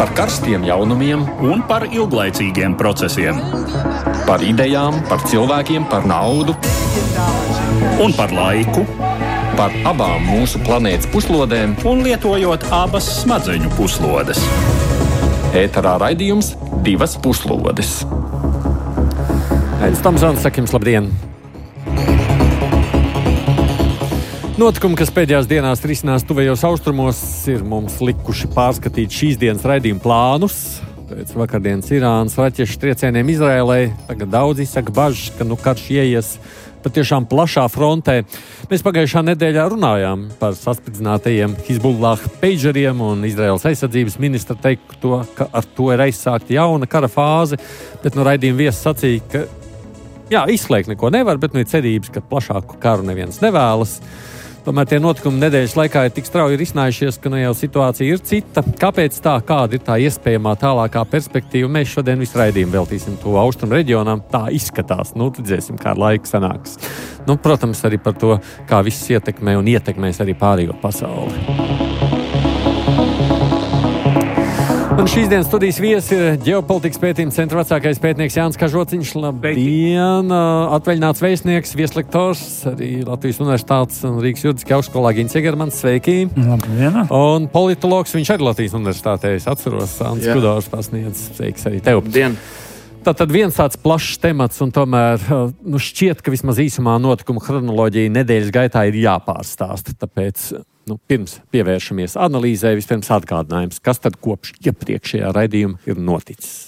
Par karstiem jaunumiem un par ilglaicīgiem procesiem. Par idejām, par cilvēkiem, par naudu Un par laiku. Par abām mūsu planētas puslodēm Un lietojot abas smadzeņu puslodes. ēterā raidījums Divas puslodes. Aizs Tomsons, saka jums labdien! Notikumi, kas pēdējās dienās risinās tuvējos austrumos, ir mums likuši pārskatīt šīs dienas raidījuma plānus. Pēc vakardienas Irānas raķešu triecieniem Izrēlai tagad daudz izsaka bažas, ka karš ieies patiešām plašā frontē. Mēs pagājušā nedēļā runājām par saspridzinātajiem Hizbullah peidžeriem, un Izraēlas aizsardzības ministra teiktu, ka ar to ir aizsākta jauna kara fāze, bet raidījuma viesis sacīja, ka izslēgt neko nevar, bet ir cerības, ka plašāku karu neviens nevēlas. Tomēr tie notikumi nedēļas laikā ir tik strauji risinājušies, ka jau situācija ir cita. Kāpēc tā? Kāda ir tā iespējamā tālākā perspektīva? Mēs šodien visu raidījumu veltīsim to austrumu reģionam. Tā izskatās. Redzēsim, kā ar laiku sanāks. Protams, arī par to, kā viss ietekmē un ietekmēs arī pārējo pasauli. Un šīs dienas studijas viesis ir ģeopolitikas pētījuma centra vecākais pētnieks Jānis Kažociņš. Labdien! Atvaļināts vēstnieks, vieslektors, arī Latvijas Universitātes un Rīgas Juridiskajā augstskolā Gins Egermans. Sveiki! Labdien! Un politologs, viņš arī Latvijas Universitātē, es atceros, Sāns Kudors pasniedz. Sveiks arī tev! Labdien! Tātad viens tāds plašs temats, un tomēr šķiet, ka vismaz īsumā notikuma chronoloģija nedēļas gaitā ir jāpārstāsta. Tāpēc pirms pievēršamies analīzē, vispirms atgādinājums, kas tad kopš iepriekšējā raidījuma ir noticis.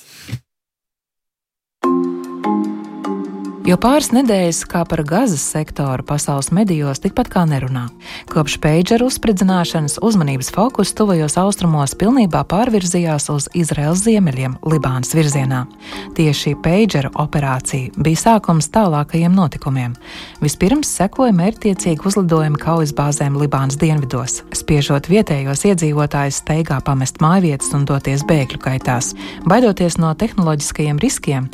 Jau pāris nedēļas kā par Gazas sektoru pasaules medijos tikpat kā nerunā. Kopš peidžeru uzspridzināšanas uzmanības fokus tuvajos austrumos pilnībā pārvirzījās uz Izraēlas ziemeļiem, Libānas virzienā. Tieši peidžeru operācija bija sākums tālākajiem notikumiem. Vispirms sekoja mērķtiecīgi uzlidojumi kaujas bāzēm Libānas dienvidos, spiežot vietējos iedzīvotājus steigā pamest mājvietas un doties bēgļu kaitās. Baidoties no tehnoloģiskajiem riskiem,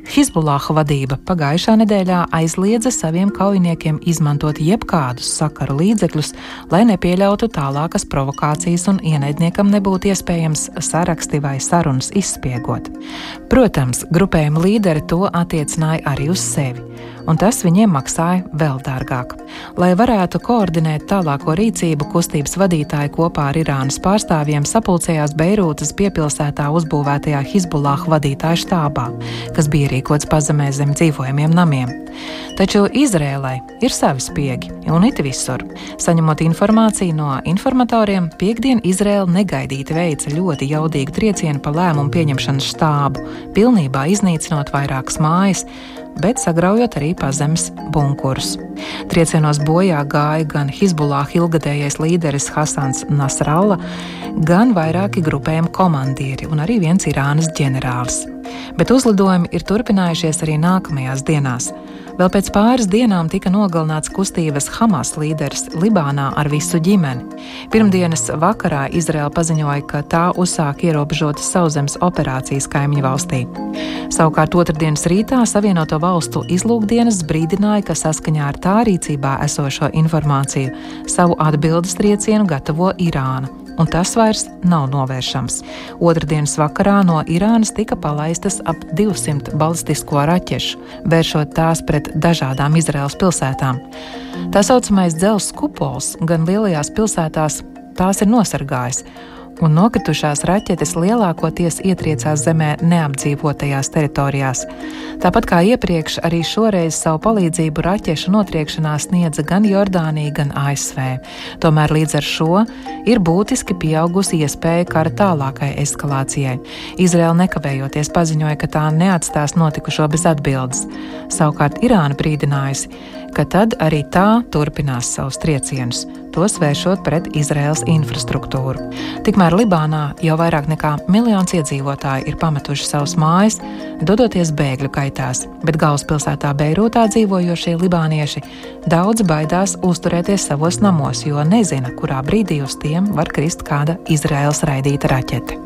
Hizbullah vadība pagājušā nedēļā aizliedza saviem kaujiniekiem izmantot jebkādus sakaru līdzekļus, lai nepieļautu tālākas provokācijas un ienaidniekam nebūtu iespējams saraksti vai sarunas izspiegot. Protams, grupējuma līderi to attiecināja arī uz sevi, un tas viņiem maksāja vēl dārgāk. Lai varētu koordinēt tālāko rīcību, kustības vadītāji kopā ar Irānas pārstāvjiem sapulcējās Beirūtas piepilsētā uzbūvētajā Hizbullah vadītāja štābā, kas bija rīkots pazemē zem dzīvojamiem namiem. Taču Izrēlai ir savi spiegi, un it visur. Saņemot informāciju no informatoriem, piektdien Izrēla negaidīti veica ļoti jaudīgu triecienu pa lēmumu pieņemšanas štābu, pilnībā iznīcinot vairākas mājas, bet sagraujot arī pazemes bunkurus. Triecienos bojā gāja gan Hizbullah ilgadējais līderis Hasans Nasrallah, gan vairāki grupējumi komandieri un arī viens Irānas ģenerālis. Bet uzlidojumi ir turpinājušies arī nākamajās dienās. Vēl pēc pāris dienām tika nogalināts kustības Hamas līderis Libānā ar visu ģimeni. Pirmdienas vakarā Izraēla paziņoja, ka tā uzsāk ierobežotas sauszemes operācijas kaimiņu valstī. Savukārt otrdienas rītā Savienoto Valstu izlūkdienas brīdināja, ka saskaņā ar tā rīcībā esošo informāciju savu atbildes triecienu gatavo Irāna, un tas vairs nav novēršams. Otrdienas vakarā no Irānas tika palaistas ap 200 balistisko raķešu, vēršot tās pret dažādām Izraēlas pilsētām. Tā saucamais dzelzs kupols gan lielajās pilsētās tās ir nosargājis, un nokritušās raķetes lielākoties ietriecās zemē neapdzīvotajās teritorijās. Tāpat kā iepriekš, arī šoreiz savu palīdzību raķešu notriekšanā sniedza gan Jordānija, gan ASV. Tomēr līdz ar šo ir būtiski pieaugusi iespēja kara tālākai eskalācijai. Izraēla nekavējoties paziņoja, ka tā neatstās notikušo bez atbildes. Savukārt Irāna brīdinājusi, ka tad arī tā turpinās savus triecienus, tos vēršot pret Izraēlas infrastruktūru. Tikmēr Libānā jau vairāk nekā 1 miljons iedzīvotāji ir pametuši savus mājas, dodoties bēgļu kaitās, bet galvaspilsētā Beirūtā dzīvojošie libānieši daudz baidās uzturēties savos namos, jo nezina, kurā brīdī uz tiem var krist kāda Izraēlas raidīta raķete.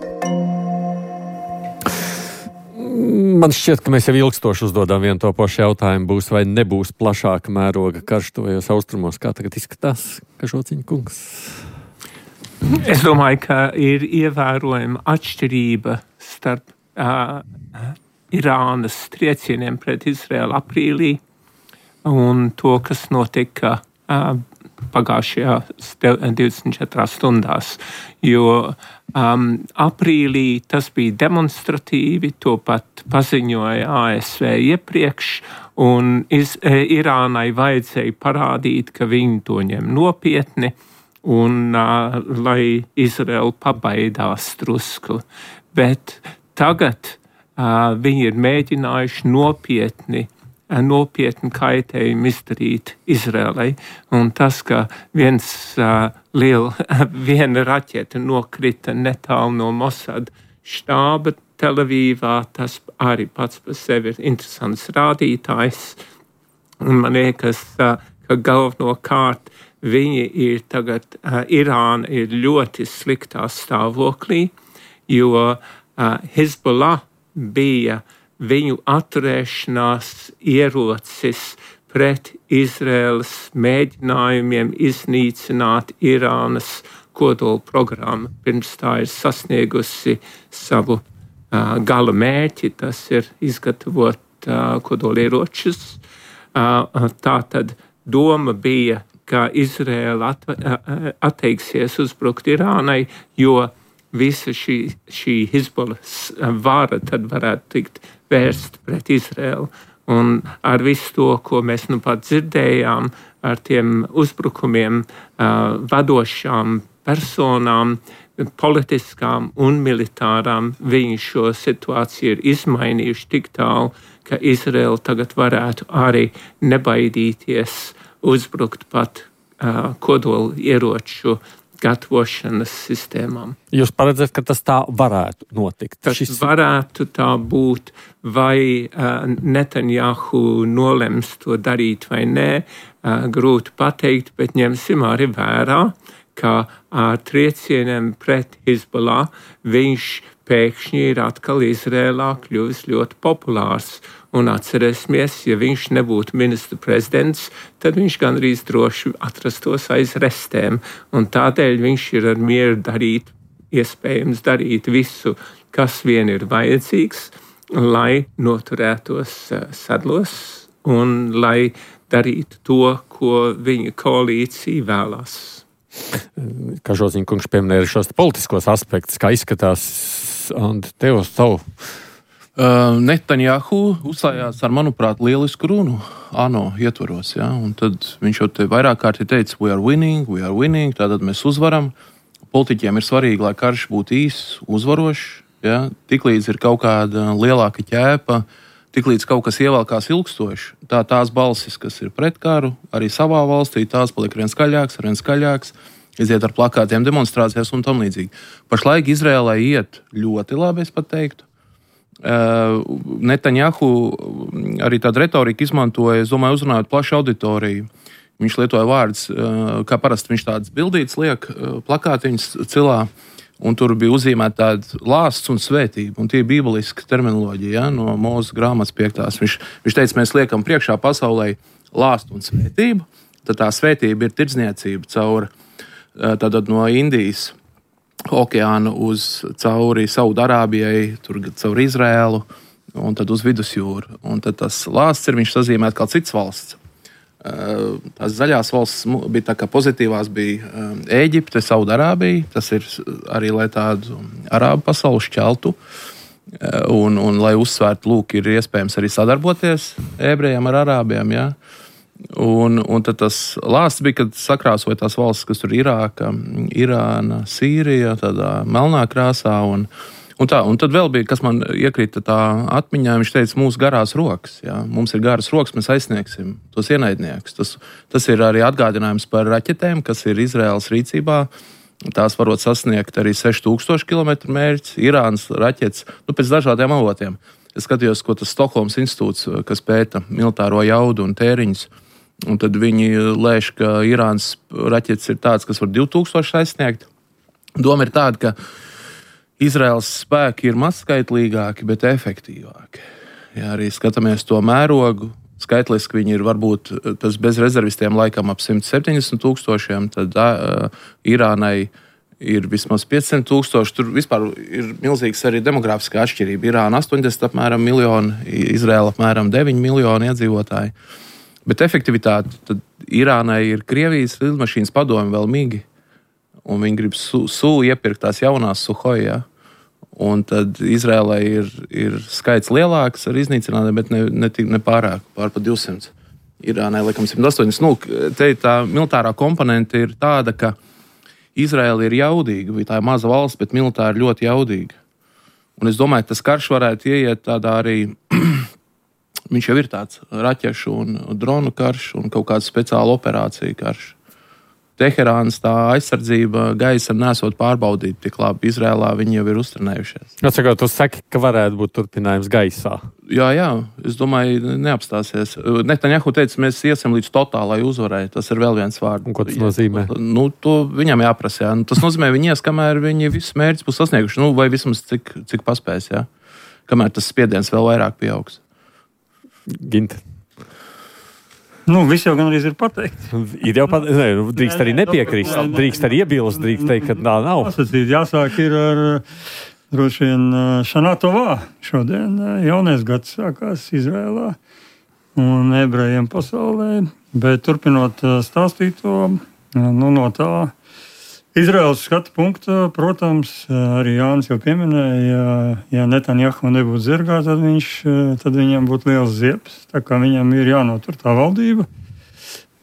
Man šķiet, ka mēs jau ilgstoši uzdodam vienu to pašu jautājumu, būs vai nebūs plašāka mēroga karš tuvajos austrumos. Kā tagad izskatās, Kažociņa kungs? Es domāju, ka ir ievērojama atšķirība starp Irānas triecieniem pret Izraelu aprīlī un to, kas notika pagājušajās 24 stundās. Jo aprīlī tas bija demonstratīvi, to pat paziņoja ASV iepriekš, un Irānai vajadzēja parādīt, ka viņi to ņem nopietni, un lai Izraela pabaidās drusku. Bet tagad viņi ir mēģinājuši nopietni kaitējumu izdarīt Izraelai. Un tas, ka viena raķete nokrita netālu no Mossad štāba Telavīvā, tas arī pats par sevi ir interesants rādītājs. Un man liekas, ka galvenokārt viņi ir tagad, Irāna ir ļoti sliktā stāvoklī, jo Hezbollah bija viņu atturēšanās ierocis pret Izraēlas mēģinājumiem iznīcināt Irānas kodola programmu, pirms tā ir sasniegusi savu gala mērķi, tas ir izgatavot kodolieročus. Tātad doma bija, ka Izraēla atteiksies uzbrukt Irānai, jo visa šī Hezbollah vara tad varētu tikt vērst pret Izraēlu. Un ar visu to, ko mēs nu pat dzirdējām, ar tiem uzbrukumiem vadošām personām, politiskām un militārām, viņi šo situāciju ir izmainījuši tik tālu, ka Izraēla tagad varētu arī nebaidīties uzbrukt pat kodola ieroču gatavošanas sistēmām. Jūs paredzat, ka tas tā varētu notikt? Tas varētu tā būt, vai Netanjahu nolems to darīt vai nē, grūti pateikt, bet ņemsim arī vērā, ka ar triecieniem pret Hezbollah viņš pēkšņi ir atkal Izrēlā kļuvis ļoti populārs. Un atcerēsimies, ja viņš nebūtu ministra prezidents, tad viņš gandrīz droši atrastos aiz restēm. Un tādēļ viņš ir ar mieru iespējams darīt visu, kas vien ir vajadzīgs, lai noturētos sadlos un lai darītu to, ko viņa koalīcija vēlās. Kažoziņa kungs pieminēja šos politiskos aspektus, kā izskatās, un tev uz savu. Netanjahu uzstājās ar, manuprāt, lielisku runu ANO ietvaros, ja? Un tad viņš jau te vairāk kārti teica, we are winning, tātad mēs uzvaram. Politiķiem ir svarīgi, lai karš būtu īss, uzvarošs, ja? Tiklīdz ir kaut kāda lielāka ķēpa, tiklīdz kaut kas ievelkās ilgstoši, tās balsis, kas ir pret karu, arī savā valstī, tās paliek arvien skaļāks, iziet ar plakātiem demonstrācijās un tam līdzīgi. Pašlaik Izrēlai iet ļoti labi, es pat teiktu. Netanjahu arī tādu retoriku izmantoja, es domāju, uzrunājot plašu auditoriju. Viņš lietoja vārdus, kā parasti viņš tādas bildītas liek, plakātiņas cilā, un tur bija uzzīmēta tāda lāsts un svētība, un tie ir bībeliska terminoloģija, ja, no Mūzes grāmatas 5. Viņš teica, mēs liekam priekšā pasaulē lāstu un svētību, tad tā svētība ir tirdzniecība tātad no Indijas okeāna cauri Saudarābijai, tur caur Izrēlu un tad uz Vidusjūru. Un tad tas lāsts viņš sazīmēt kā cits valsts. Tās zaļās valsts bija tā kā pozitīvās bija Ēģipte, Saudarābija, tas ir arī, lai tādu arābu pasauli šķeltu un lai uzsvērtu, lūk, ir iespējams arī sadarboties ebrejiem ar arābiem, jā. Un tad tas lāsts bija, kad sakrāsoja tās valstis, kas tur Irāka, Irāna, Sīrija, tādā melnā krāsā un tad vēl bija, kas man iekrita tā atmiņā, viņš teica, mūsu garās rokas, jā, mums ir garas rokas, mēs aizsniegsim tos ienaidniekus. Tas ir arī atgādinājums par raķetēm, kas ir Izraēlas rīcībā. Tās varot sasniegt arī 6000 km mērķis, Irānas raķetes, pēc dažādiem avotiem. Es skatījos, ko tas Stokholmas institūts, kas pēta militāro jaudu un tēriņus, un tad viņi lēš, ka Irānas raķetes ir tāds, kas var 2000 aizsniegt. Doma ir tāda, ka Izraēlas spēki ir mazskaitlīgāki, bet efektīvāki. Ja arī skatāmies to mērogu, skaitliski viņi ir varbūt tas bez rezervistiem laikam ap 170 000, tad Irānai ir vismaz 500,000. Tur vispār ir milzīgs arī demogrāfiskā atšķirība. Irāna 80 apmēram miljoni, Izraela apmēram 9 miljoni iedzīvotāji. Bet efektivitāte tad Irānai ir Krievijas lidmašīnas padomi vēl migi, un viņi grib iepirkt tās jaunās Suhoi, ja? Un tad Izrēlai ir skaits lielāks ar iznīcinātiem, bet ne pārāk, pār pa 200. Irānai, laikam, 180. Nu, te tā militārā komponente ir tāda, ka Izraela ir jaudīga, tā ir maza valsts, bet militāri ļoti jaudīga. Un es domāju, ka tas karš varētu ieiet tādā arī, viņš jau ir tāds raķešu un dronu karš un kaut kāda speciāla operācija karš. Teherānas tā aizsardzība gaisa nesot pārbaudīta tik labi. Izrēlā viņi jau ir uztrenējušies. Atsakot, tu saki, ka varētu būt turpinājums gaisā. Jā, es domāju, neapstāsies. Netanjahu teica, mēs iesim līdz totālai uzvarai. Tas ir vēl viens vārds. Un ko tas nozīmē? To viņam jāprasa. Jā. Tas nozīmē, viņi ies, kamēr viņi visus mērķus būs sasnieguši. Vai vismaz cik paspēs, jā. Kamēr tas spiediens vēl vairāk pieaugs. Ginta. Viss jau gan arī ir pateikts. Ir jau pateikts. Drīkst arī nepiekrist. Drīkst arī iebilst, drīkst teikt, ka tā nav. Jāsāk ir ar droši vien Šanātovā. Šodien jaunais gads sākās Izrēlā un ebrejiem pasaulē. Bet turpinot stāstīt to, no tā Izraēlas skatu punkta, protams, arī Jānis jau pieminēja, ja Netanjahu nebūtu zirgā, tad viņam būtu liels ziepes. Tā kā viņam ir jānotur tā valdība.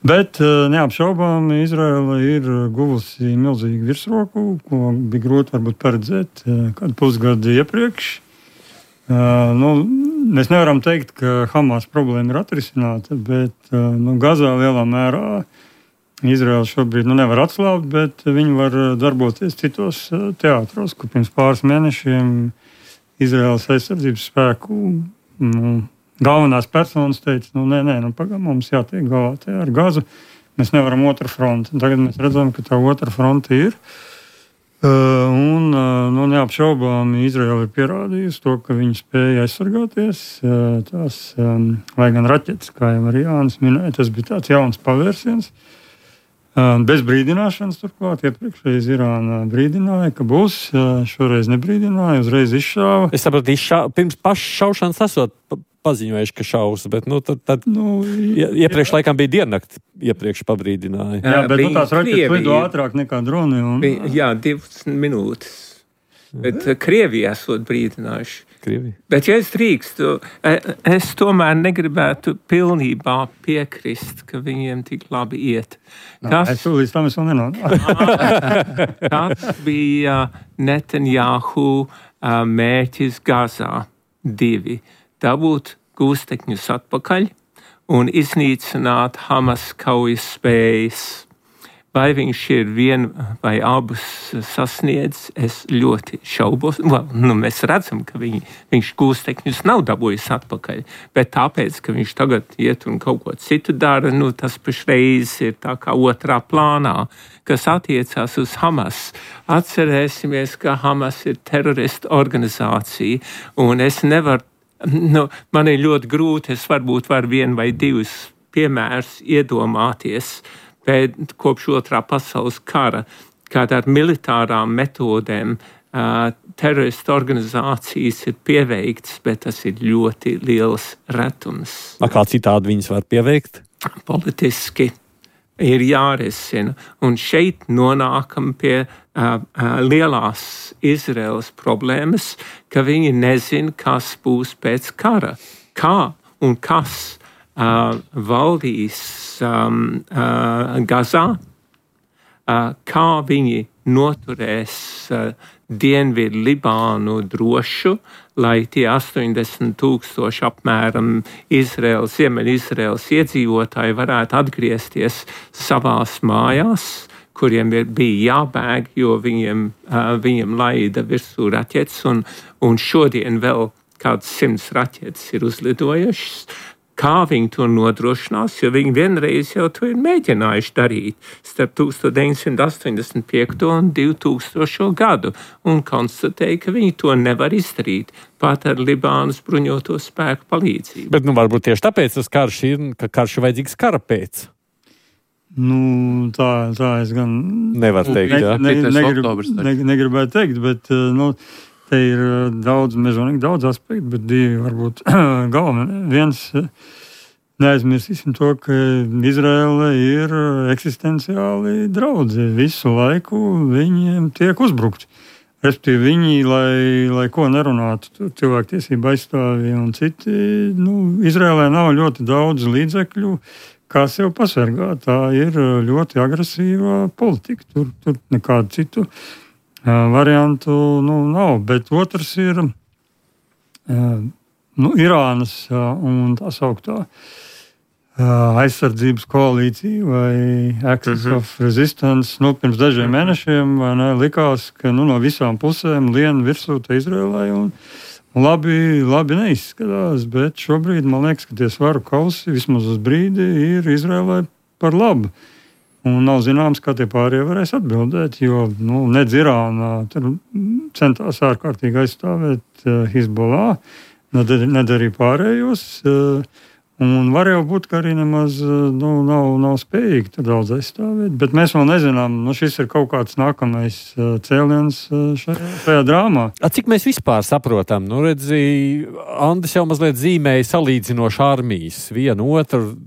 Bet neapšaubām Izraēla ir guvusi milzīgu virsroku, ko bija grūti varbūt paredzēt kādu pusgadu iepriekš. Mēs nevaram teikt, ka Hamas problēma ir atrisināta, bet Gazā lielā mērā Izraela šobrīd nevar atslābt, bet viņi var darboties citos teātros, kur pirms pāris mēnešiem Izraēlas aizsardzības spēku galvenās personas teica, pagaidām mums jātiek galā te ar Gazu, mēs nevaram otru fronti. Tagad mēs redzam, ka tā otra fronte ir. Neapšaubām Izraela ir pierādījusi to, ka viņi spēja aizsargāties. Lai gan raķetes, kā jau arī Jānis minēja, tas bija tāds jauns pavērsiens. Bez brīdināšanas turklāt. Iepriekšreiz Irāna brīdināja, ka būs. Šoreiz nebrīdināja, uzreiz izšāva. Es saprotu, pirms pašas šaušanas esot paziņojuši, ka šaus, bet iepriekš laikam bija diennakti, iepriekš pabrīdināja. Jā, bet tās raķetes lido ātrāk nekā droni. Jā, 20 minūtes. Bet Krievija esot brīdinājuši. Bet, ja es drīkstu, es tomēr negribētu pilnībā piekrist, ka viņiem tik labi iet. Es līdz tam es vēl nenonāku. Tas bija Netanjahu mērķis Gazā 2. Dabūt gūstekņus atpakaļ un iznīcināt Hamas kaujas spējas. Vai viņš ir vienu vai abus sasniedz, es ļoti šaubos. Mēs redzam, ka viņš gūstekņus nav dabūjis atpakaļ, bet tāpēc, ka viņš tagad iet un kaut ko citu dara, tas pašreiz ir tā kā otrā plānā, kas attiecās uz Hamas. Atcerēsimies, ka Hamas ir terorista organizācija, un es nevaru, man ir ļoti grūti, es varbūt varu 1 vai 2 piemērus iedomāties, bet kopš otrā pasaules kara, kad ar militārām metodēm terorista organizācijas ir pieveiktas, bet tas ir ļoti liels retums. Kā citādi viņas var pieveikt? Politiski ir jārisina. Un šeit nonākam pie lielās Izraēlas problēmas, ka viņi nezin, kas būs pēc kara. Kā un kas valdīs Gazā, kā viņi noturēs Dienvidu Libānu drošu, lai tie 80,000 apmēram Ziemeļizraēlas iedzīvotāji varētu atgriezties savās mājās, kuriem bija jābēg, jo viņiem laida virsū raķetes, un šodien vēl kāds 100 raķetes ir uzlidojušas. Kā viņi to nodrošinās, jo viņi vienreiz jau to ir mēģinājuši darīt starp 1985. un 2000. gadu un konstatēja, ka viņi to nevar izdarīt pat ar Libānas bruņoto spēku palīdzību. Bet varbūt tieši tāpēc tas karš ir, ka karš ir vajadzīgs kara pēc. Nu, tā es gan nevaru teikt. Negribētu teikt, bet te ir mežonīgi daudz aspektu, bet divi varbūt galvenie. Viens, neaizmirsīsim to, ka Izraela ir eksistenciāli draudzi. Visu laiku viņiem tiek uzbrukti. Respektīvi, viņi, lai ko nerunātu, cilvēktiesība aizstāvji un citi, Izraēlē nav ļoti daudz līdzekļu, kā sev pasargāt. Tā ir ļoti agresīva politika. Tur nekādu citu variantu nav. Bet otrs ir Irānas un tā sauktā aizsardzības koalīcija vai Axis of Resistance. Pirms dažiem mēnešiem likās, ka no visām pusēm lien virsū Izraēlai un labi neizskatās, bet šobrīd man liekas, ka tie svaru kausi vismaz uz brīdi ir Izraēlai par labu. Un nav zināms, kā tie pārējie varēs atbildēt, jo nedz Irāna tur centās ārkārtīgi aizstāvēt Hizbollah, nedarīja pārējos. Un var jau būt, ka arī nemaz nav spējīgi tur daudz aizstāvēt. Bet mēs vēl nezinām, šis ir kaut kāds nākamais cēliens šajā drāmā. Cik mēs vispār saprotam? Andris jau mazliet zīmēja salīdzinoši armijas. Vienu otru,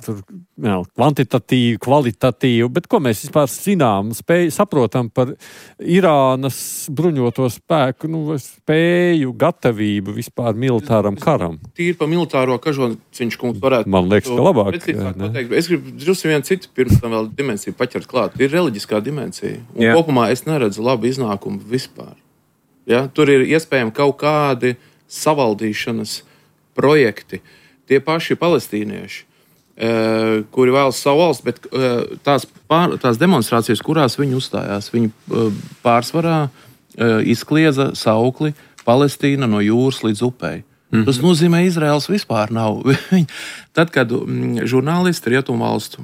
kvantitatīvu, kvalitatīvu. Bet ko mēs vispār zinām, saprotam par Irānas bruņoto spēku, spēju, gatavību vispār militāram karam? Tīri pa militāro Kažociņš kungs varētu. Man liekas, ka labāk. Es gribu drusku vienu citu pirms tam vēl dimensiju paķert klāt. Ir reliģiskā dimensija. Un kopumā es neredzu labu iznākumu vispār. Ja? Tur ir iespējami kaut kādi savaldīšanas projekti. Tie paši palestīnieši, kuri vēlas savu valsts, bet tās demonstrācijas, kurās viņi uzstājās, viņi pārsvarā izkliedza saukli Palestīna no jūras līdz upei. Tas nozīmē, Izraels vispār nav. Tad, kad žurnālisti rietumvalstu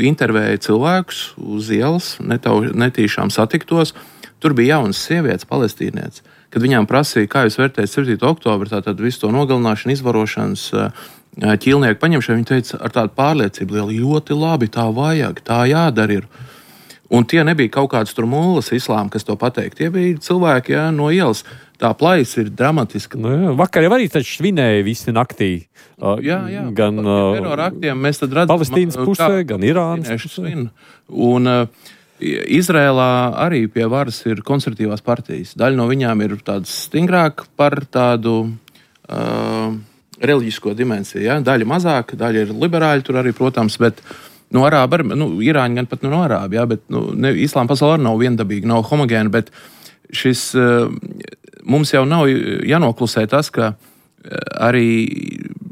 intervēja cilvēkus uz ielas, netīšām satiktos, tur bija jaunas sievietes, palestīnietes. Kad viņām prasīja, kā jūs vērtējat 7. oktobru, tātad visu to nogalināšanu, izvarošanas, ķīlnieku paņemšanu, viņi teica ar tādu pārliecību lielu, ļoti labi, tā vajag, tā jādara ir. Un tie nebija kaut kāds tur mūlas islāma, kas to pateikt. Tie bija cilvēki no ielas. Tā plaisa ir dramatiska. Vakar jau arī taču svinēja visi naktī. Gan teroraktiem mēs tad redzam Palestīnas pusē, gan Irānas pusē. Un Izrēlā arī pie varas ir konservatīvās partijas. Daļa no viņām ir tādas stingrāk par tādu reliģisko dimensiju. Ja? Daļa mazāk, daļa ir liberāļi tur arī, protams, bet no arāba, Irāņi gan pat no arābi, bet islāma pasaulē arī nav viendabīga, nav homogēna, bet šis mums jau nav jānoklusē tas, ka arī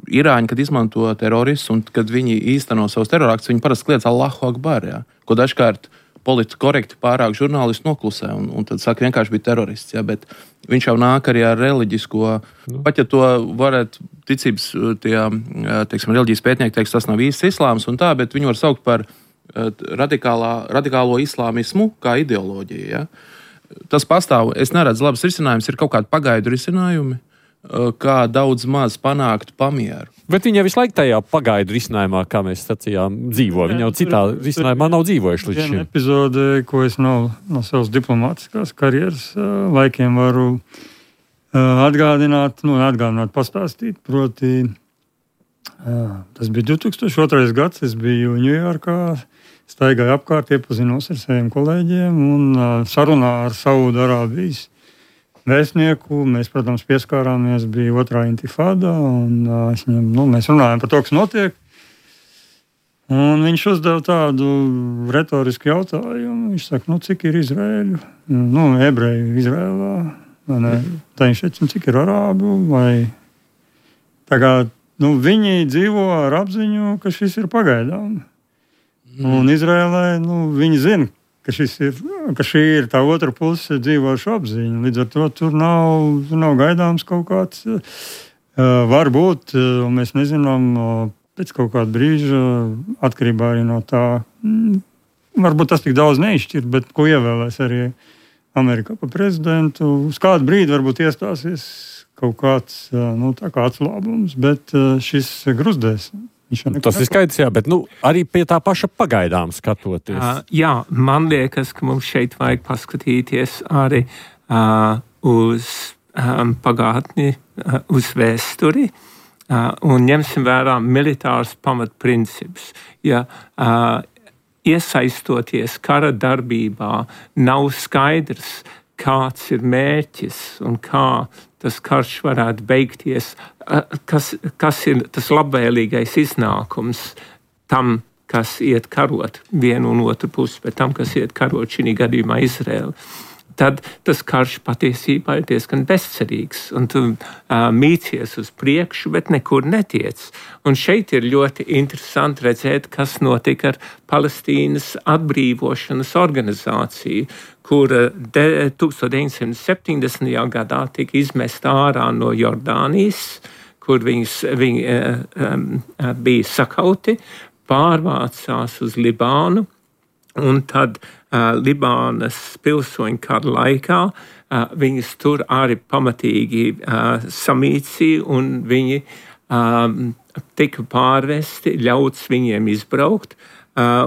Irāņi, kad izmanto teroristus un kad viņi īsteno savus teroraktus, viņi parasti kliedz Allahu Akbar, ko dažkārt politiski korekti pārāk žurnālisti noklusē un tad saka, vienkārši bija terorists. Bet viņš jau nāk arī ar reliģisko, pat ja to varētu ticības reliģijas pētnieki teiks, tas nav īsts islāms un tā, bet viņu var saukt par radikālo islāmismu kā ideoloģiju. Ja? Tas pastāv, es neredzu labas risinājumus, ir kaut kādi pagaidu risinājumi, kā daudz maz panākt pamieru. Bet viņi jau visu laiku tajā pagaidu risinājumā, kā mēs sacījām, dzīvo. Viņi jau citā risinājumā nav dzīvojuši līdz šim. Viena epizode, ko es no savas diplomātiskās karjeras laikiem varu atgādināt, pastāstīt, proti tas bija 2002. gads, es biju Ņujorkā, staigāju apkārt, iepazinos ar saviem kolēģiem un sarunā ar Saūdarābijas vēstnieku. Mēs, protams, pieskārāmies, bija otrā intifāda, un mēs runājām par to, kas notiek. Un viņš uzdeva tādu retorisku jautājumu. Viņš saka, cik ir Izraēļu? Ebreju Izraēlā. Tā viņš teica, cik ir arābu? Vai tagad, viņi dzīvo ar apziņu, ka šis ir pagaidām. Un Izraēlē, viņi zina, ka šī ir tā otra puse dzīvošu apziņa. Līdz ar to tur nav gaidāms kaut kāds, varbūt, un mēs nezinām, pēc kaut kāda brīža, atkarībā arī no tā, varbūt tas tik daudz neizšķir, bet ko ievēlēs arī Amerikā pa prezidentu. Uz kādu brīdi varbūt iestāsies kaut kāds, tā kā atslābums, bet šis gruzdēs Tas ir skaidrs, jā, bet arī pie tā paša pagaidām skatoties. Jā, man liekas, ka mums šeit vajag paskatīties arī uz pagātni, uz vēsturi, un ņemsim vērā militārs pamatprincips. Ja iesaistoties kara darbībā, nav skaidrs, kāds ir mērķis un kā tas karš varētu beigties, kas ir tas labvēlīgais iznākums tam, kas iet karot vienu un otru pusi, bet tam, kas iet karot šī gadījumā Izraēlu. Tad tas karš patiesībā ir diezgan bezcerīgs, un tu mīcies uz priekšu, bet nekur netiec. Un šeit ir ļoti interesanti redzēt, kas notika ar Palestīnas atbrīvošanas organizāciju, kur 1970. Gadā tika izmesta ārā no Jordānijas, kur viņi bija sakauti, pārvācās uz Libānu, un tad Libānas pilsoņu kara laikā viņas tur arī pamatīgi samīcīja, un viņi tika pārvesti, ļauts viņiem izbraukt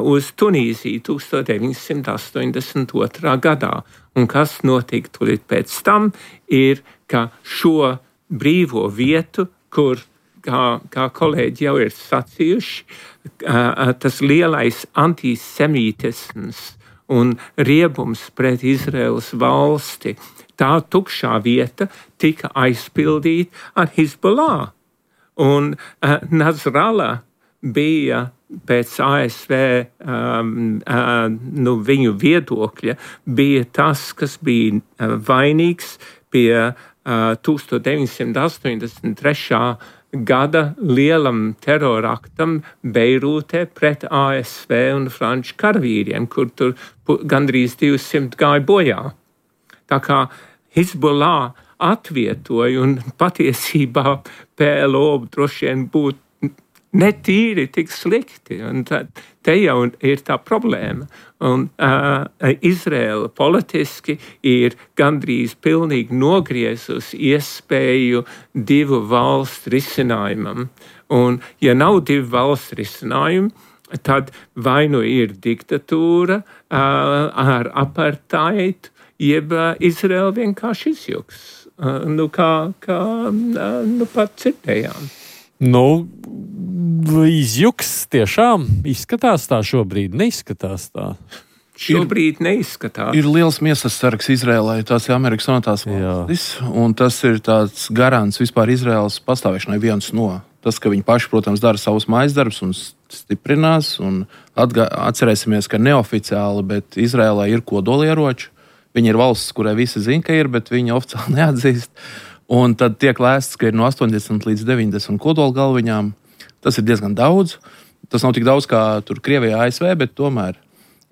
uz Tunīziju 1982. Gadā. Un kas notika tūlīt pēc tam, ir, ka šo brīvo vietu, kur, kā kolēģi jau ir sacījuši, tas lielais antisemītisms un riebums pret Izraēlas valsti, tā tukšā vieta tika aizpildīta ar Hizbollah. Un Nasrallah bija pēc ASV viņu viedokļa, bija tas, kas bija vainīgs pie 1983. Gada lielam teroraktam Beirūtē pret ASV un franču karavīriem, kur tur gandrīz 200 gāja bojā. Tā kā Hizbollah atvietoja, un patiesībā PLO droši vien būtu netīri tik slikti, un te jau ir tā problēma. Un Izraela politiski ir gandrīz pilnīgi nogriezusi iespēju divu valstu risinājumam. Un ja nav divu valstu risinājumu, tad vai nu ir diktatūra ar apartheidu, jeb Izraela vienkārši izjuks. Kā pat dzirdējām. Izjuks tiešām izskatās tā šobrīd, neizskatās tā. Šobrīd neizskatās. Ir liels miesas sargs Izrēlai, tās ir Amerikas Savienotās valstis, un tas ir tāds garants vispār Izraēlas pastāvēšanai viens no. Tas, ka viņi paši, protams, dara savus mājasdarbus un stiprinās, un atcerēsimies, ka neoficiāli, bet Izrēlai ir kodolieroči. Viņi ir valsts, kurai visi zina, ka ir, bet viņi oficiāli neatzīst. Un tad tiek lēsts, ka ir no 80 līdz 90 kodolgalviņām. Tas ir diezgan daudz. Tas nav tik daudz kā tur Krievijā, ASV, bet tomēr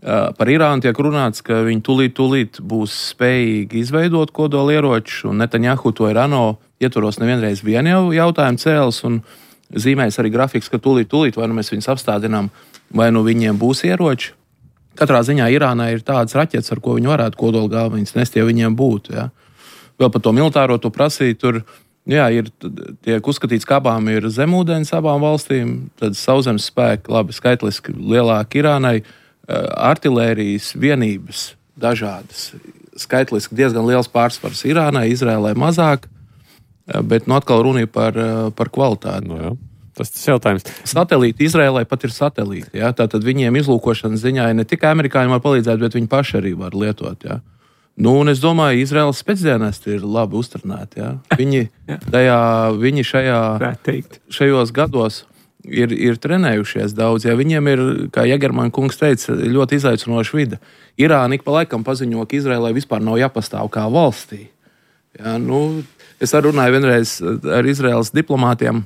par Irānu tiek runāts, ka viņi tūlīt būs spējīgi izveidot kodolieročus, un Netanjahu to ir ANO ietvaros nevienreiz vienu jautājumu cēlis, un zīmējas arī grafiks, ka tūlīt vai nu mēs viņus apstādinām, vai nu viņiem būs ieroči. Katrā ziņā Irānai ir tādas raķetes, ar ko viņi varētu kodolgalviņas nest, ja viņiem būtu, jā. Vēl par to militāro to prasīt, tur tiek uzskatīts, ka abām ir zemūdens abām valstīm, tad sauszemes spēki, labi, skaitliski lielāki Irānai, artilērijas vienības dažādas, skaitliski diezgan liels pārsvars Irānai, Izrēlai mazāk, bet atkal runa ir par kvalitāti. Jā. Tas jautājums. Satelīti Izrēlai pat ir satelīti, jā, tātad viņiem izlūkošanas ziņā ne tikai amerikāņi var palīdzēt, bet viņi paši arī var lietot, jā. Un es domāju, Izraēlas spēcdienesti ir labi uztrenēti. Ja? Viņi šajos gados ir trenējušies daudz. Ja? Viņiem ir, kā Jegerman kungs teica, ļoti izaicinoša vide. Irāna ik pa laikam paziņo, ka Izraēlai vispār nav jāpastāv kā valstī. Ja? Es arī runāju vienreiz ar Izraēlas diplomātiem,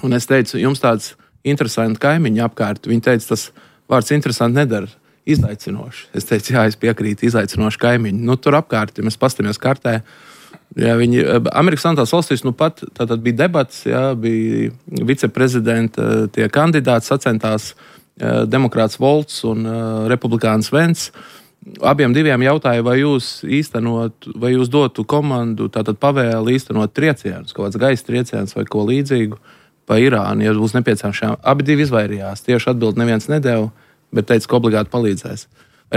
un es teicu, jums tāds interesants kaimiņi apkārt. Viņi teica, tas vārds interesanti nedara. Izaicinoši. Es teicu, jā, es piekrītu, izaicinoši kaimiņi. Tur apkārt, ja mēs pastamies kartē, jā, Amerikas Savienotās valstīs pat tātad bija debats, jā, bija viceprezidenta tie kandidāti, sacentās demokrāts Volts un republikāns Vents. Abiem diviem jautāja, vai jūs dotu komandu, tātad pavēli īstenot triecienus, kaut kāds gaisa trieciens vai ko līdzīgu pa Irānu, ja būs nepieciešama. Abi divi izvairījās. Tieši atbildi neviens nedēva, bet teica, ka obligāti palīdzēs.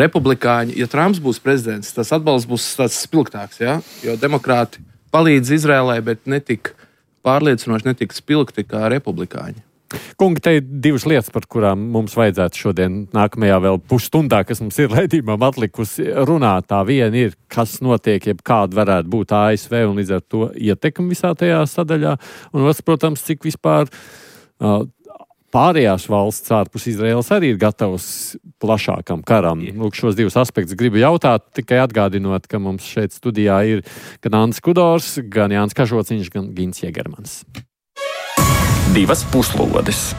Republikāņi, ja Trumps būs prezidents, tas atbalsts būs tāds spilgtāks, ja? Jo demokrāti palīdz Izrēlai, bet netik pārliecinoši, netik spilgti kā republikāņi. Kungi, te ir divas lietas, par kurām mums vajadzētu šodien nākamajā vēl pusstundā, kas mums ir raidījumam atlikusi runāt. Tā viena ir, kas notiek, jeb kāda varētu būt ASV un līdz ar to ietekmi visā tajā sadaļā. Un otrs, protams, cik vispār pārējās valsts ārpus Izraēlas arī ir gatavs plašākam karam. Lūk, šos divus aspektus gribu jautāt, tikai atgādinot, ka mums šeit studijā ir gan Andris Kudors, gan Jānis Kažociņš, gan Gins Jegermans. Divas puslodes.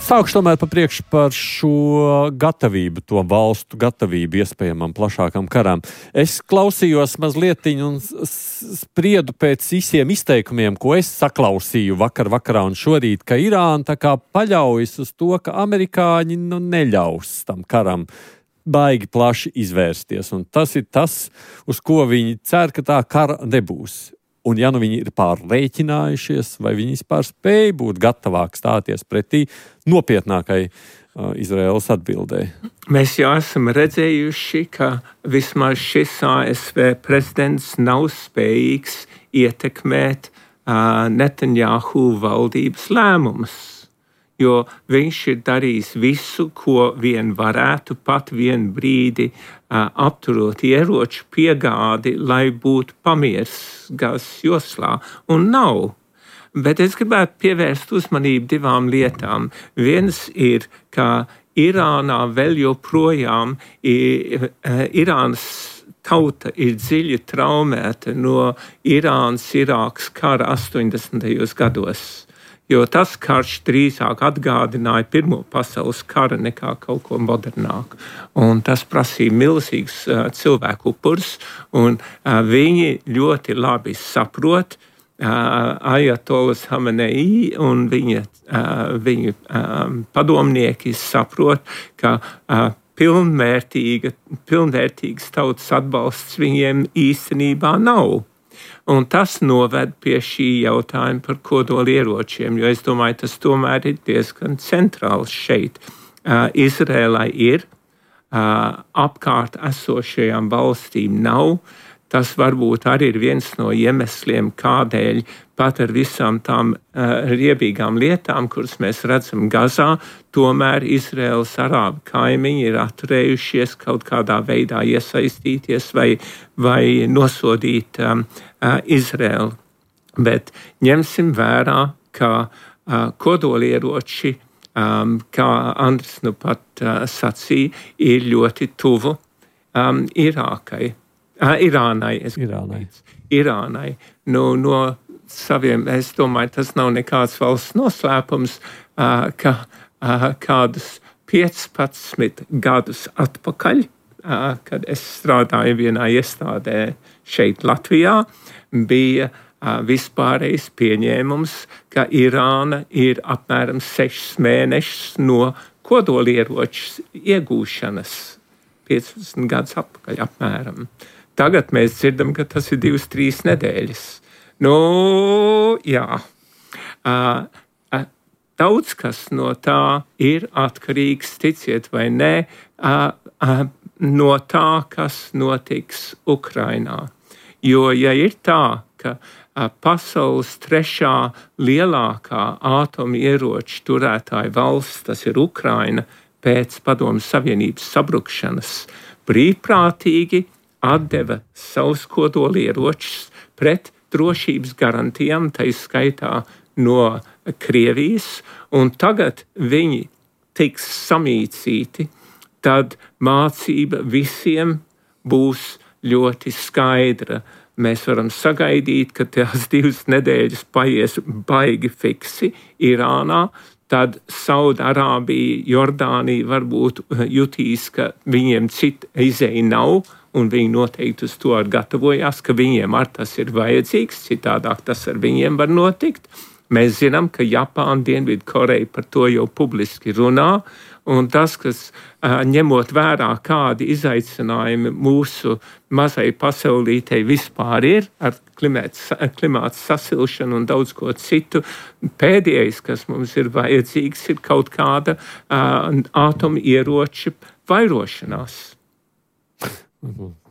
Sākšu tomēr pa priekšu par šo gatavību, to valstu gatavību iespējamam plašākam karam. Es klausījos mazlietiņu un spriedu pēc visiem izteikumiem, ko es saklausīju vakarā un šorīt, ka Irāna tā kā paļaujas uz to, ka amerikāņi neļaus tam karam baigi plaši izvērsties. Un tas ir tas, uz ko viņi cer, ka tā kara nebūs. Un ja viņi ir pārrēķinājušies, vai viņi vispār spēj būt gatavāk stāties pretī nopietnākai Izraēlas atbildē? Mēs jau esam redzējuši, ka vismaz šis ASV prezidents nav spējīgs ietekmēt Netanjahu valdības lēmumus, jo viņš ir darījis visu, ko vien varētu, pat vien brīdi apturot ieroču piegādi, lai būtu pamiers Gazas joslā, un nav. Bet es gribētu pievērst uzmanību divām lietām. Viens ir, ka Irānā vēl joprojām Irānas tauta ir dziļi traumēta no Irānas-Irākas kara 80. gados. Jo tas karš drīzāk atgādināja Pirmo pasaules kara nekā kaut ko modernāku. Un tas prasīja milzīgs cilvēku upurs, un viņi ļoti labi saprot, Ajatolas Hamenei un viņa padomnieki saprot, ka pilnvērtīgas tautas atbalsts viņiem īstenībā nav. Un tas noved pie šī jautājuma par kodolieročiem, jo es domāju, tas tomēr ir diezgan centrāls šeit. Izrēlai ir, apkārt esošajām valstīm nav. Tas varbūt arī ir viens no iemesliem, kādēļ pat ar visām tām riebīgām lietām, kuras mēs redzam Gazā, tomēr Izraēlas arābu kaimiņi ir atturējušies kaut kādā veidā iesaistīties vai nosodīt Izraēlu. Bet ņemsim vērā, ka kodolieroči, kā Andris nu pat sacīja, ir ļoti tuvu Irānai. No saviem, es domāju, tas nav nekāds valsts noslēpums, ka kādus 15 gadus atpakaļ, kad es strādāju vienā iestādē šeit Latvijā, bija vispārējais pieņēmums, ka Irāna ir apmēram 6 mēnešus no kodolieroču iegūšanas. 15 gadus atpakaļ apmēram. Tagad mēs dzirdam, ka tas ir 2-3 nedēļas. Jā. Daudz kas no tā ir atkarīgs, ticiet vai nē, no tā, kas notiks Ukrainā. Jo, ja ir tā, ka pasaules 3. lielākā atomieroču turētāja valsts, tas ir Ukraina, pēc Padomju Savienības sabrukšanas, brīvprātīgi atdeva savus kodolieročus pret drošības garantijām, tai skaitā no Krievijas, un tagad viņi tiks samīcīti, tad mācība visiem būs ļoti skaidra. Mēs varam sagaidīt, ka tās 2 nedēļas paies baigi fiksi Irānā, tad Saudarābija, Jordānija varbūt jutīs, ka viņiem cita izeja nav, un viņi noteikti uz to gatavojās, ka viņiem ar tas ir vajadzīgs, citādāk tas ar viņiem var notikt. Mēs zinām, ka Japāna, Dienvidkoreja par to jau publiski runā, Un tas, kas ņemot vērā, kādi izaicinājumi mūsu mazai pasaulītei vispār ir ar klimāta sasilšanu un daudz ko citu, pēdējais, kas mums ir vajadzīgs, ir kaut kāda atomieroča vairošanās.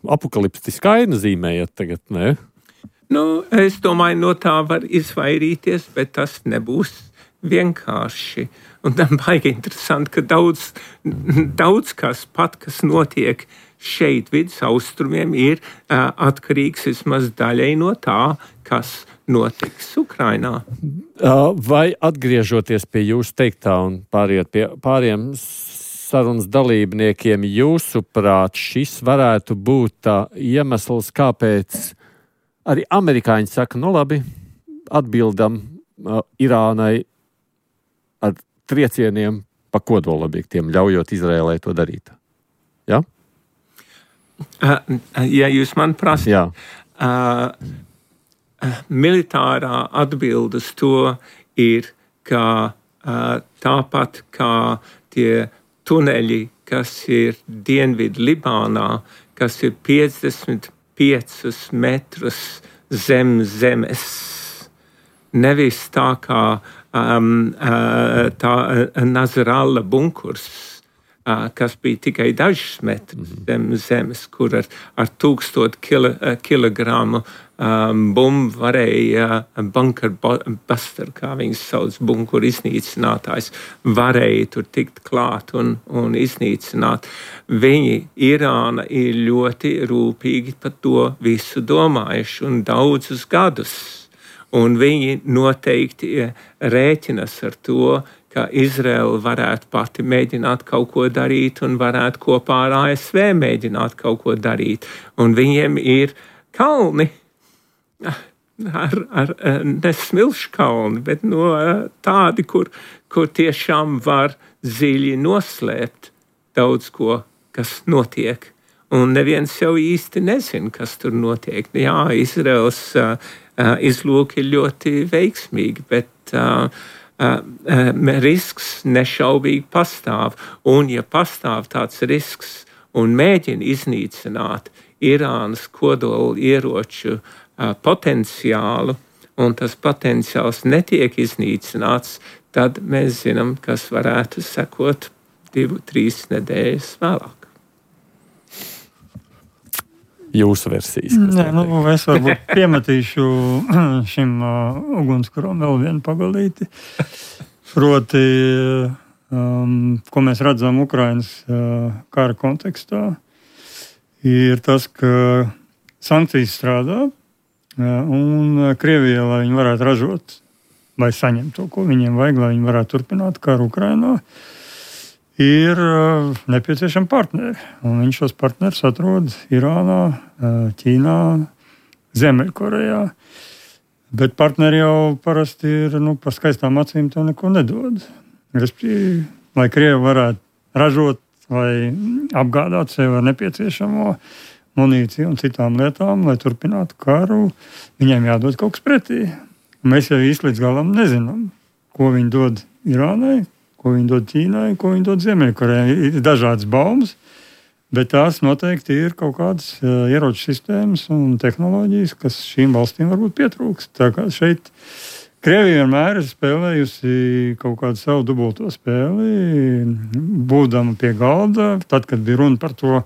Apokaliptiskā nozīmējat tagad, ne? Es domāju, no tā var izvairīties, bet tas nebūs vienkārši. Un tam baigi interesanti, ka daudz kas notiek šeit vidus austrumiem ir atkarīgs vismaz daļai no tā, kas notiks Ukrainā. Vai atgriežoties pie jūsu teiktā un pāriet pie pāriem sarunas dalībniekiem, jūsuprāt, šis varētu būt tā iemesls, kāpēc arī amerikāņi saka, labi, atbildam Irānai ar triecieniem pa kodolobjektiem, ļaujot Izrēlai to darīt. Ja? Ja jūs man prasat, militārā atbilde uz to ir, ka tāpat kā tie tuneļi, kas ir Dienvidu Libānā, kas ir 55 metrus zem zemes. Nevis tā kā tā Nazaralla bunkurs, kas bija tikai dažus metrus zem zemes, kur ar 1000 kilogramu bumbu varēja bunker buster, kā viņas sauc, bunkuru iznīcinātājs, varēja tur tikt klāt un iznīcināt. Irāna ir ļoti rūpīgi par to visu domājuši un daudzus gadus. Un viņi noteikti rēķinas ar to, ka Izraela varētu pati mēģināt kaut ko darīt un varētu kopā ar ASV mēģināt kaut ko darīt. Un viņiem ir kalni, ar nesmilšu kalni, bet tādi, kur tiešām var dziļi noslēpt daudz ko, kas notiek. Un neviens jau īsti nezina, kas tur notiek. Jā, Izraels izlūki ir ļoti veiksmīgi, bet risks nešaubīgi pastāv. Un ja pastāv tāds risks un mēģina iznīcināt Irānas kodola ieroču potenciālu, un tas potenciāls netiek iznīcināts, tad mēs zinām, kas varētu sekot 2-3 nedēļas vēlāk. Jūsu versijas. Es varbūt piemetīšu šim ugunskuram vēl vienu pagalīti. Proti, ko mēs redzam Ukrainas kara kontekstā, ir tas, ka sankcijas strādā, un Krievija, lai viņi varētu ražot vai saņemt to, ko viņiem vajag, lai viņi varētu turpināt karu Ukrainā, ir nepieciešami partneri. Un viņš šos partnerus atrod Irānā, Ķīnā, Ziemeļkorejā. Bet partneri jau parasti ir par skaistām acīm to neko nedod. Respektīvi, lai Krievi varētu ražot vai apgādāt sev ar nepieciešamo munīciju un citām lietām, lai turpinātu karu, viņiem jādod kaut kas pretī. Mēs jau īsti līdz galam nezinām, ko viņi dod Irānai, ko viņi dod Ķīnai, ko viņi dod Ziemeļkorejai. Ir dažādas baumas, bet tās noteikti ir kaut kādas ieroču sistēmas un tehnoloģijas, kas šīm valstīm varbūt pietrūkst. Tā kā šeit Krievija vienmēr ir spēlējusi kaut kādu savu dubulto spēli, būdama pie galda, tad, kad bija runa par to,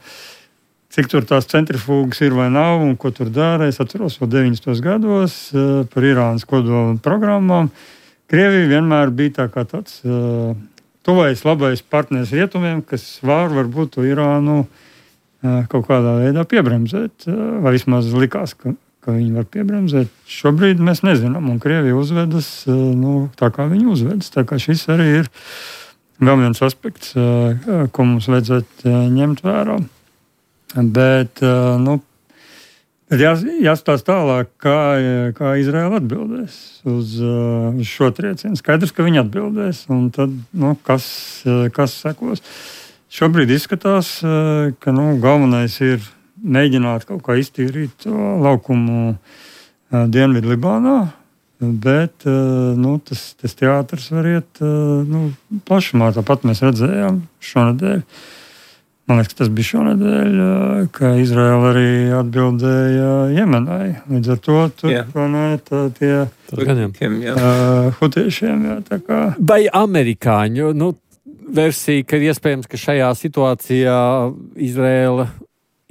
cik tur tās centrifūgas ir vai nav un ko tur dara. Es atceros vēl 90. gados par Irānas kodola programmām. Krievija vienmēr bija tā kā tāds tuvais, labais partneris rietumiem, kas varbūt to Irānu kaut kādā veidā piebremzēt, vai vismaz likās, ka viņi var piebremzēt. Šobrīd mēs nezinām, un Krievija uzvedas tā, kā viņi uzvedas. Tā kā šis arī ir vēl viens aspekts, ko mums vajadzētu ņemt vērā. Bet, jāstāsta tālāk, kā Izraela atbildēs uz šo triecienu. Skaidrs, ka viņi atbildēs, un tad, kas sekos. Šobrīd izskatās, ka galvenais ir mēģināt kaut kā iztīrīt to laukumu Dienvidu Libānā, Bet tas teātris var iet plašumā. Tāpat mēs redzējām šonedēļ. Man liekas, tas bija šonedēļ, ka Izraela arī atbildēja Jemenai. Līdz ar to tur tie hutiešiem. Vai amerikāņu versija, ka iespējams, ka šajā situācijā Izraela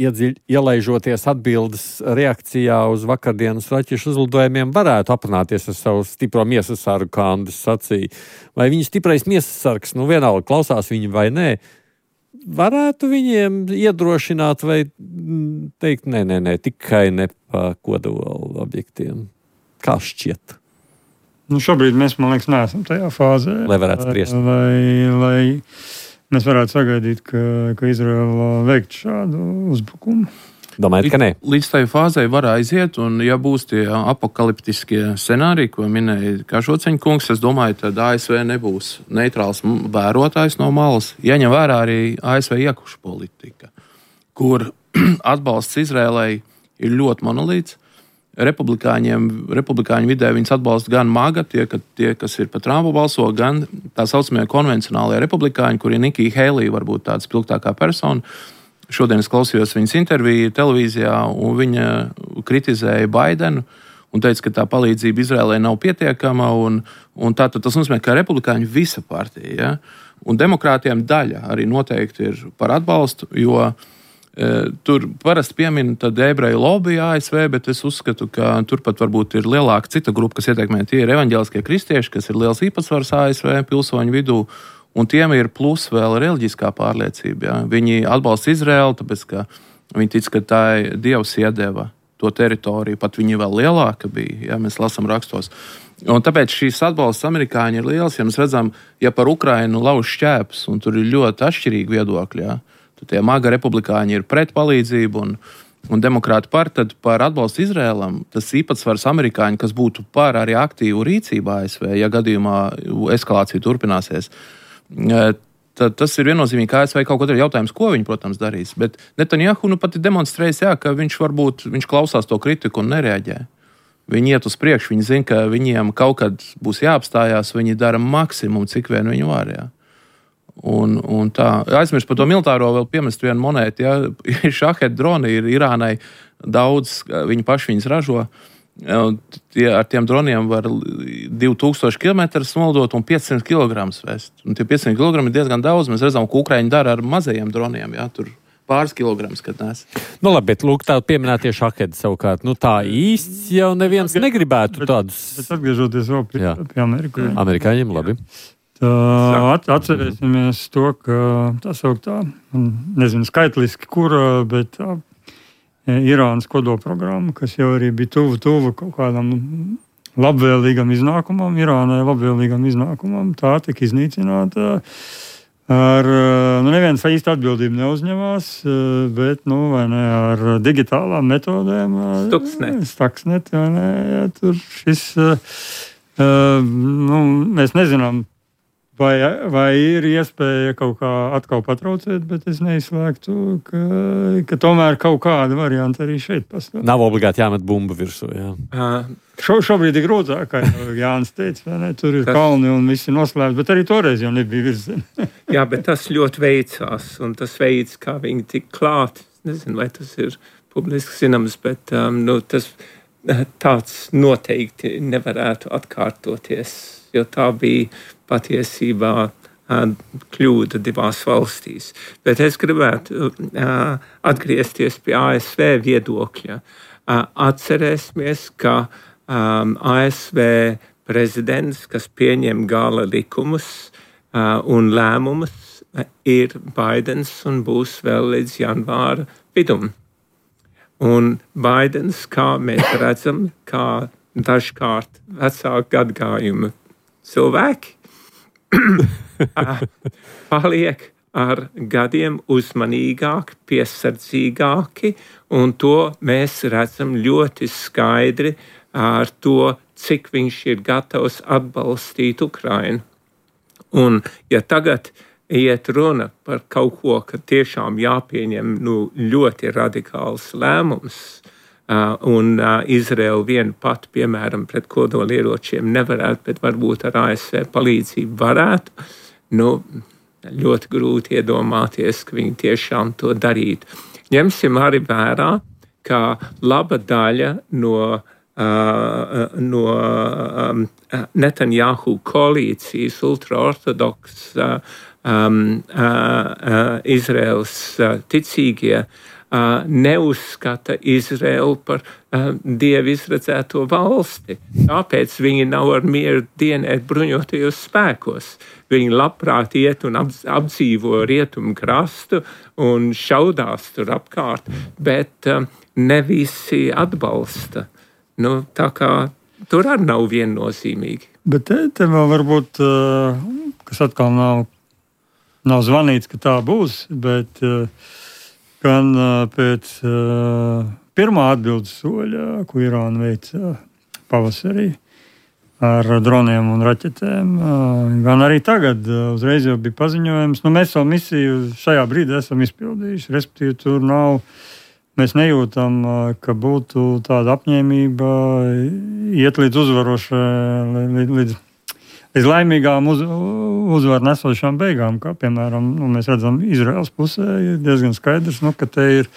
ielaižoties atbildes reakcijā uz vakardienas raķešu uzlidojumiem varētu aprunāties ar savu stipro miesas sargu, kā Andris sacīja. Vai viņa stiprais miesas sargs, vienalga klausās viņi vai nē, varētu viņiem iedrošināt vai teikt, nē, tikai ne pa kodolu objektiem? Kā šķiet? Šobrīd mēs, man liekas, neesam tajā fāzē. Lai varētu spriest. Lai mēs varētu sagaidīt, ka Izraela veikt šādu uzbrukumu. Domājat, ka nē? Līdz tai fāzei var aiziet, un ja būs tie apokaliptiskie scenāriji, ko minēja Kašoceņa kungs, es domāju, tad ASV nebūs neitrāls vērotājs no malas. Jaņem vērā arī ASV iekuša politika, kur atbalsts Izrēlai ir ļoti monolīts. Republikāņu vidē viņas atbalsta gan MAGA, tie, kas ir par Trumpu balso, gan tā saucamie konvencionālie republikāņi, kuri Nikija Heilija varbūt tāda spilgtākā persona. Šodien es klausījos viņas interviju televīzijā, un viņa kritizēja Baidenu un teica, ka tā palīdzība Izrēlai nav pietiekama. Tātad tas nozīmē, ka republikāņu visa partija, ja? Un demokrātiem daļa arī noteikti ir par atbalstu, jo tur parasti piemin ebreju lobby ASV, bet es uzskatu, ka turpat varbūt ir lielāka cita grupa, kas ietekmē. Tie ir evaņģēliskie kristieši, kas ir liels īpatsvars ASV pilsoņu vidū. Un tiem ir plus vēl reliģiskā pārliecība. Ja? Viņi atbalsta Izraēlu, tāpēc, ka viņi tic, ka tā Dievs iedeva to teritoriju, pat viņi vēl lielāka bija, ja mēs lasām rakstos. Un tāpēc šīs atbalsts amerikāņi ir liels, ja mēs redzam, ja par Ukrainu lauž šķēpes, un tur ir ļoti atšķirīgi viedokļi, ja? Tad tie MAGA republikāņi ir pret palīdzību, un demokrāti tad par atbalstu Izraēlam, tas īpatsvars amerikāņi, kas būtu par arī aktīvu rīcību ASV, ja gadījumā eskalācija turpināsies. Tad tas ir viennozīmīgi, ka ASV kaut ko ir jautājums, ko viņi, protams, darīs. Bet Netanjahu pat ir demonstrējis, ka viņš klausās to kritiku un nereaģē. Viņi iet uz priekšu, viņi zina, ka viņiem kaut kad būs jāapstājās, viņi dara maksimumu, cik vien viņi var. Ja. Un tā, aizmirst par to militāro vēl piemest vienu monētu. Ja. Šahed droni ir Irānai daudz, viņi paši viņas ražo. Ar tiem droniem var 2000 km nolidot un 500 kg vest. Un tie 500 kg ir diezgan daudz. Mēs redzam, ko Ukraiņi dara ar mazajiem droniem. Ja, tur pāris kilograms, kad nes. Labi, bet lūk, tā pieminētie šahedi savukārt. Tā īsti jau neviens negribētu tādus. Bet atgriežoties vēl pie amerikāņiem. Amerikāņiem, labi. Atcerēsimies to, ka tā sauktā, nezinu skaitliski kura, bet tā Irānas kodolprogramma, kas jau arī bija tuvu kaut kādam labvēlīgam iznākumam, Irānai labvēlīgam iznākumam, tā tika iznīcināta ar, neviens īsti atbildību neuzņemās, bet, vai ne, ar digitālām metodēm. Stuxnet, vai ne, tur šis, mēs nezinām, vai ir iespēja kaut kā atkal patraucēt, bet es neizslēgtu, ka tomēr kaut kāda varianta arī šeit pastāv. Nav obligāti jāmet bumbu virsū, jā. Šobrīd ir grūtāk, kā Jānis teica, vai ne? Tur ir kalni un viss ir noslēpts, bet arī toreiz jau nebija virzeme. Jā, bet tas ļoti veicās, un tas veids, kā viņi tik klāt, nezinu, vai tas ir publiski zināms, bet tas tāds noteikti nevarētu atkārtoties, jo tā bija patiesībā kļūda divās valstīs. Bet es gribētu atgriezties pie ASV viedokļa. Atcerēsimies, ka ASV prezidents, kas pieņem gala likumus un lēmumus, ir Baidens un būs vēl līdz janvāra vidum. Un Baidens, kā mēs redzam, kā dažkārt vecāku gadgājumu cilvēki, paliek ar gadiem uzmanīgāki, piesardzīgāki, un to mēs redzam ļoti skaidri ar to, cik viņš ir gatavs atbalstīt Ukrainu. Un ja tagad iet runa par kaut ko, ka tiešām jāpieņem ļoti radikāls lēmums, un Izraela viena pat, piemēram, pret kodolieročiem nevarētu, bet varbūt ar ASV palīdzību varētu. Ļoti grūti iedomāties, ka viņi tiešām to darītu. Ņemsim arī vērā, ka laba daļa no Netanjahu koalīcijas ultraortodoks Izraels ticīgie neuzskata Izraelu par Dievu izredzēto valsti. Tāpēc viņi nav ar mieru dienēt bruņotajos spēkos. Viņi labprāt iet un apdzīvo rietumu krastu un šaudās tur apkārt, bet ne visi atbalsta. Tā kā tur arī nav viennozīmīgi. Bet te vēl varbūt, kas atkal nav zvanīts, ka tā būs, bet gan pēc pirmā atbildes soļa, ko Irāna veica pavasarī ar droniem un raķetēm, gan arī tagad uzreiz jau bija paziņojums. Mēs savu misiju šajā brīdī esam izpildījuši, respektīvi tur nav, mēs nejūtam, ka būtu tāda apņēmība iet līdz uzvarošai, līdz laimīgām uzvaru nesošām beigām, kā piemēram, mēs redzam, Izraels pusē ir diezgan skaidrs, ka te ir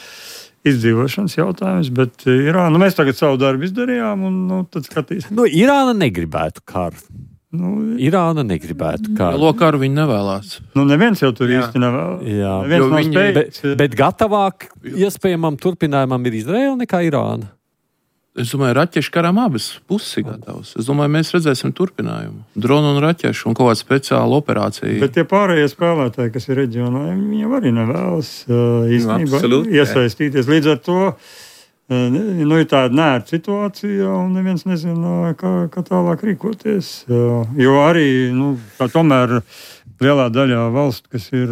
izdzīvošanas jautājums, bet Irāna, mēs tagad savu darbu izdarījām, un tad skatīsim. Irāna negribētu karu. Irāna negribētu karu. Lielo karu viņi nevēlās. Neviens jau tur īsti nevēlas. Jā, bet gatavāk iespējamam turpinājumam ir Izraela nekā Irāna. Es domāju, raķešu karam abas puses ir gatavas. Es domāju, mēs redzēsim turpinājumu. Dronu un raķešu un kaut kādu speciālu operāciju. Bet tie pārējie spēlētāji, kas ir reģionā, viņi arī nevēlas īstenībā iesaistīties. Līdz ar to ir tāda nērta situācija un neviens nezina, kā tālāk rīkoties. Jo arī tomēr lielā daļā valstu, kas ir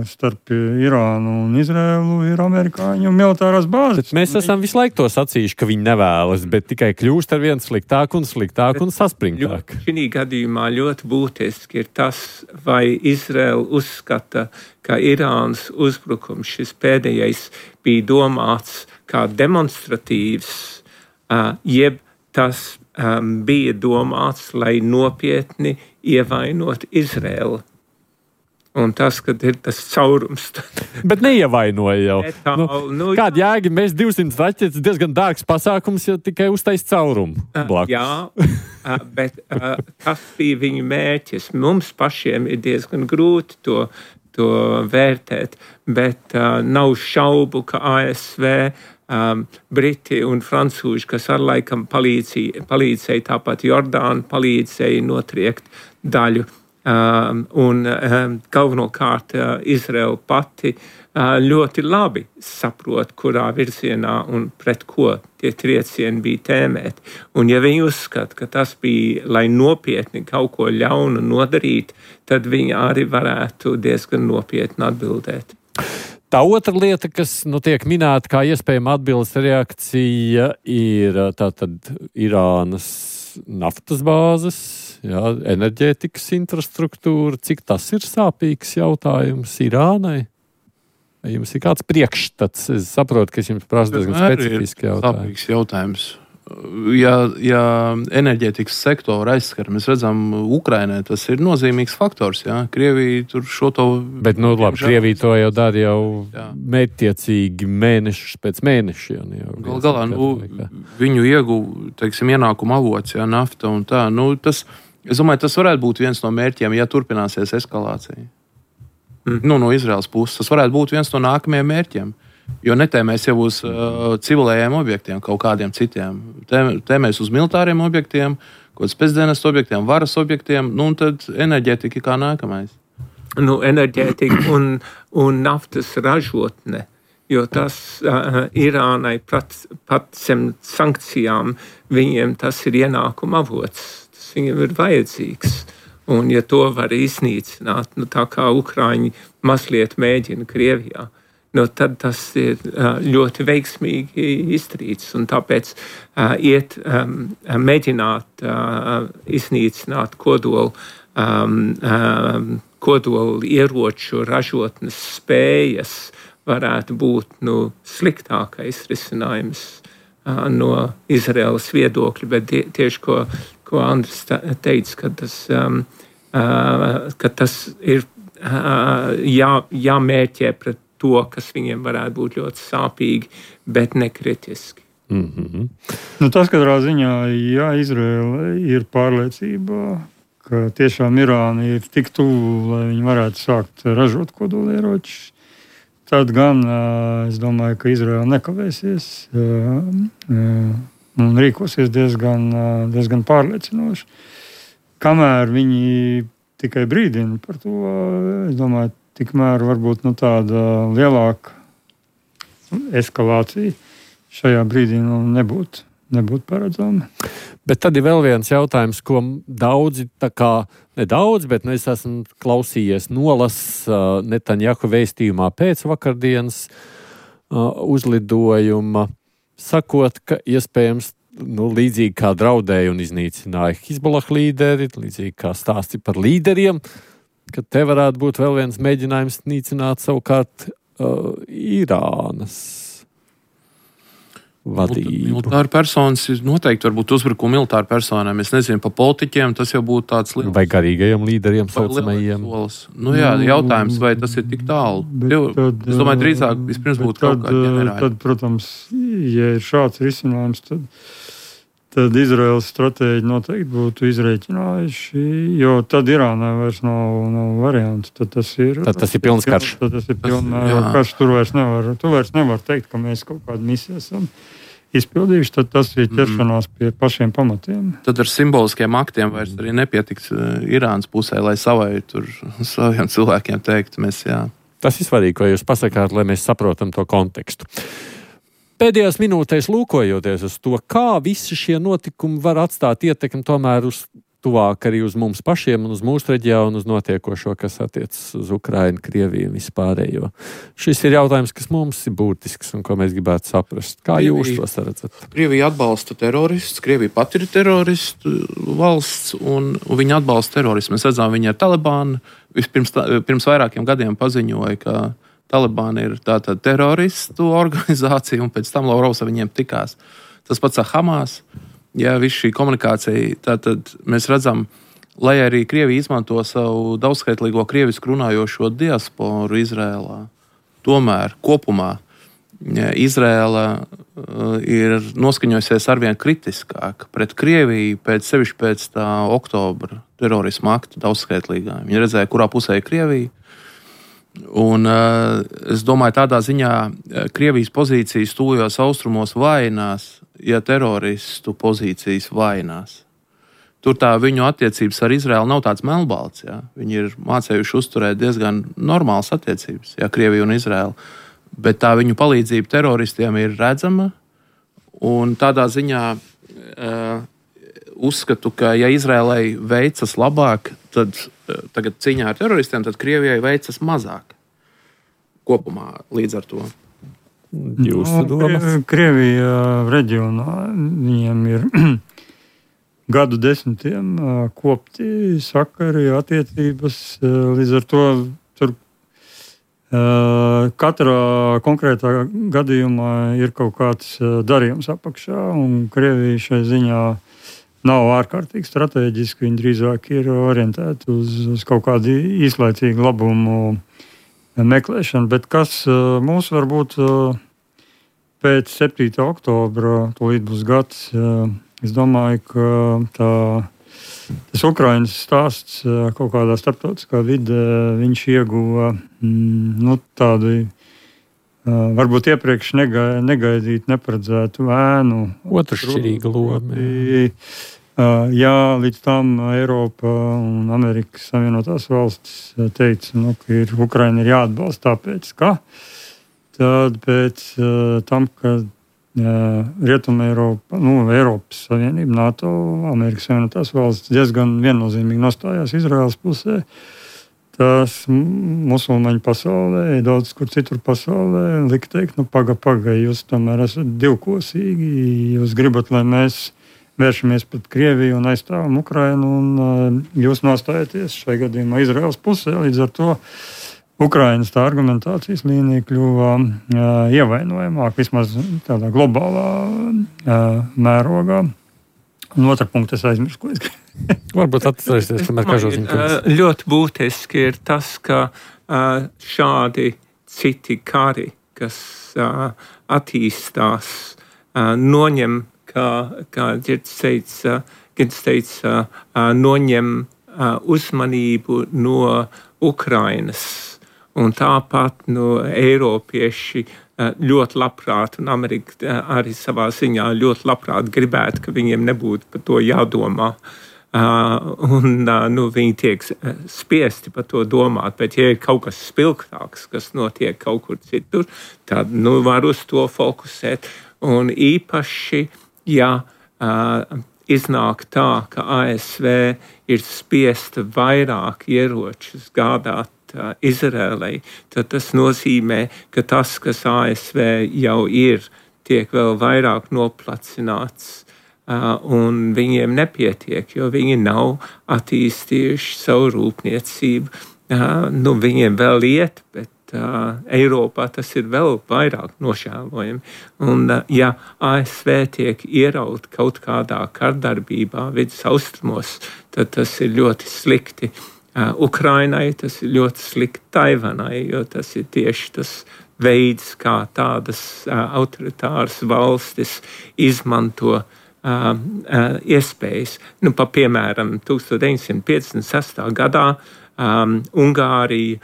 starp Irānu un Izraelu, ir amerikāņu militārās bāzes. Mēs esam visu laiku to sacījuši, ka viņi nevēlas, bet tikai kļūst ar vien sliktāk un saspringtāk. Šī gadījumā ļoti būtiski ir tas, vai Izraela uzskata, ka Irānas uzbrukums šis pēdējais bija domāts kā demonstratīvs, jeb tas bija domāts, lai nopietni ievainot Izraelu. Un tas, kad ir tas caurums. Bet neievainoja jau. Kāda jēga? Mēs 200 raķetes diezgan dārgs pasākums, ja tikai uztais caurumu blakus. Jā, bet tas bija viņu mērķis. Mums pašiem ir diezgan grūti to vērtēt, bet nav šaubu, ka ASV, Briti un Francūži, kas ar laikam palīdzēja, tāpat Jordāna palīdzēja notriekt daļu. Un galvenokārt Izraela pati ļoti labi saprot, kurā virzienā un pret ko tie triecieni bija tēmēti. Un ja viņi uzskata, ka tas bija, lai nopietni kaut ko ļaunu nodarīt, tad viņi arī varētu diezgan nopietni atbildēt. Tā otra lieta, kas tiek minēta kā iespējama atbildes reakcija, ir tātad Irānas naftas bāzes, enerģētikas infrastruktūra. Cik tas ir sāpīgs jautājums Irānai? Vai jums ir kāds priekšstats? Es saprotu, ka es jums prasu diezgan specifiski jautājumu. Sāpīgs jautājums. Ja enerģētikas sektoru aizskar, mēs redzam, Ukrainai tas ir nozīmīgs faktors. Jā? Krievija tur šo to... Bet, labi, Krievija to jau dara jau mērķtiecīgi mēnešus pēc mēnešiem. Galā, viņu ienākuma avots, nafta un tā. Es domāju, tas varētu būt viens no mērķiem, ja turpināsies eskalācija. No Izraels puses. Tas varētu būt viens no nākamajiem mērķiem. Jo netēmēs jau uz civilējiem objektiem, kaut kādiem citiem. Tēmēs uz militāriem objektiem, kaut kāds pēcdienestu objektiem, varas objektiem, un tad enerģētika kā nākamais. Enerģētika un naftas ražotne, jo tas Irānai pat zem sankcijām, viņiem tas ir ienākuma avots, tas viņiem ir vajadzīgs. Un ja to var iznīcināt, tā kā Ukraiņi mazliet mēģina Krievijā, tad tas ir ļoti veiksmīgi izdarīts. Un tāpēc mēģināt iznīcināt kodolu ieroču ražotnes spējas varētu būt sliktākais risinājums no Izraēlas viedokļa, bet tieši ko Andris teica, ka tas ir jāmērķē pret to, kas viņiem varētu būt ļoti sāpīgi, bet nekritiski. Mm-hmm. Nu, tas katrā ziņā, ja Izraēla ir pārliecībā, ka tiešām Irāna ir tik tuvu, lai viņi varētu sākt ražot kodolieročus, tad gan es domāju, ka Izraēla nekavēsies un rīkosies diezgan pārliecinoši. Kamēr viņi tikai brīdina par to, es domāju, tikmēr varbūt tāda lielāka eskalācija šajā brīdī nebūtu paredzama. Bet tad ir vēl viens jautājums, ko daudzi, nedaudz, bet es esmu klausījies Netanjahu vēstījumā pēc vakardienas uzlidojuma, sakot, ka iespējams līdzīgi kā draudēja un iznīcināja Hizbollah līderi, līdzīgi kā stāsti par līderiem, ka te varētu būt vēl viens mēģinājums nīcināt savukārt Irānas vadību. Militāri personas noteikti varbūt uzbrukumi militāri personām. Es nezinu, pa politiķiem tas jau būtu tāds liels. Vai garīgajiem līderiem saucamajiem. Jā, jautājums, vai tas ir tik tālu. Es domāju, drīzāk vispirms būtu kaut kādi ģenerāļi. Tad, protams, ja ir šāds risinājums, tad Izraēlas stratēģi noteikti būtu izreikinājuši, jo tad Irānai vairs nav variantu. Tad tas ir pilns karš. Tad tas ir pilns karš. Tu vairs nevar teikt, ka mēs kaut kādu misiju esam izpildījuši, tad tas ir ķeršanās pie pašiem pamatiem. Tad ar simboliskiem aktiem vairs arī nepietiks Irānas pusē, lai saviem cilvēkiem teikt, mēs jā. Tas ir svarīgi, ko jūs pasakāt, lai mēs saprotam to kontekstu. Pēdējās minūtēs lūkojoties uz to, kā visi šie notikumi var atstāt ietekmi tomēr uz tuvāk arī uz mums pašiem un uz mūsu reģionu, uz notiekošo, kas attiecas uz Ukrainu, Krieviju un vispārējo. Šis ir jautājums, kas mums ir būtisks un ko mēs gribētu saprast. Kā jūs to redzat? Krievija atbalsta teroristus, Krievija pati ir teroristu valsts un viņa atbalsta terorismu. Mēs redzam, viņa ar Talibānu pirms vairākiem gadiem paziņoja, ka Talibāna ir tātad teroristu organizācija, un pēc tam Lavrovs ar viņiem tikās. Tas pats ar Hamas. Ja viss šī komunikācija, tātad mēs redzam, lai arī Krievija izmanto savu daudzskaitlīgo krievisku runājošo diasporu Izrēlā, tomēr kopumā Izrēla ir noskaņojusies arvien kritiskāk pret Krieviju, sevišķi pēc tā oktobra terorisma akta daudzskaitlīgā. Viņi redzēja, kurā pusē ir Krievija. Un es domāju, tādā ziņā Krievijas pozīcijas tuvajos austrumos vājinās, ja teroristu pozīcijas vājinās. Tur tā viņu attiecības ar Izraēlu nav tāds melnbalts. Ja? Viņi ir mācējuši uzturēt diezgan normālas attiecības, ja Krievija un Izraēla. Bet tā viņu palīdzība teroristiem ir redzama. Un tādā ziņā uzskatu, ka ja Izraēlai veicas labāk, tad tagad cīņā ar teroristiem, tad Krievijai veicas mazāk kopumā līdz ar to. Jūsu domas? Krievija reģionā viņiem ir gadu desmitiem kopti sakari, attiecības. Līdz ar to tur katrā konkrētā gadījumā ir kaut kāds darījums apakšā, un Krievija šai ziņā nav ārkārtīgi strateģiski, viņi drīzāk ir orientēti uz kaut kādu īslaicīgu labumu meklēšanu. Bet kas mūs varbūt pēc 7. oktobra, tūlīt būs gads, es domāju, ka tas Ukrainas stāsts kaut kādā starptautiskā vidē, viņš ieguva tādu varbūt iepriekš negaidīt, neparedzētu ēnu. Otršķirīga loma. Jā, līdz tam Eiropa un Amerikas Savienotās valstis teica, ka Ukraina ir jāatbalsta tāpēc, ka tad pēc tam, kad Rietuma Eiropa, Eiropas Savienība, NATO, Amerikas Savienotās valstis diezgan viennozīmīgi nostājās Izraēlas pusē, tas musulmaņu pasaulē, daudz kur citur pasaulē, lika teikt, paga, jūs tomēr esat divkosīgi, jūs gribat, lai mēs vēršamies pret Krieviju un aizstāvam Ukrainu, un jūs nostājaties šai gadījumā Izraēlas pusē, līdz ar to Ukrainas tā argumentācijas līnija kļuva ievainojamāk, vismaz tādā globālā mērogā. Un otra punkta es aizmirsu, ko es gribēju. Varbūt atcerēsies, kamēr Kažociņš. Ļoti būtiski ir tas, ka šādi citi kari, kas attīstās, noņem, kā Girds teica, noņem uzmanību no Ukrainas. Un tāpat Eiropieši ļoti labprāt, un Amerika arī savā ziņā ļoti labprāt gribētu, ka viņiem nebūtu par to jādomā. Viņi tiek spiesti par to domāt, bet ja ir kaut kas spilgtāks, kas notiek kaut kur citur, tad var uz to fokusēt. Un īpaši, ja iznāk tā, ka ASV ir spiesta vairāk ieročus gādāt Izrēlai, tad tas nozīmē, ka tas, kas ASV jau ir, tiek vēl vairāk noplacināts, un viņiem nepietiek, jo viņi nav attīstījuši savu rūpniecību. Viņiem vēl iet, bet Eiropā tas ir vēl vairāk nožēlojami. Un, ja ASV tiek ieraut kaut kādā kardarbībā vidus austrumos, tad tas ir ļoti slikti. Ukrainai tas ir ļoti slikti Taivanai, jo tas ir tieši tas veids, kā tādas autoritāras valstis izmanto iespējas. Piemēram, 1956. gadā Ungārija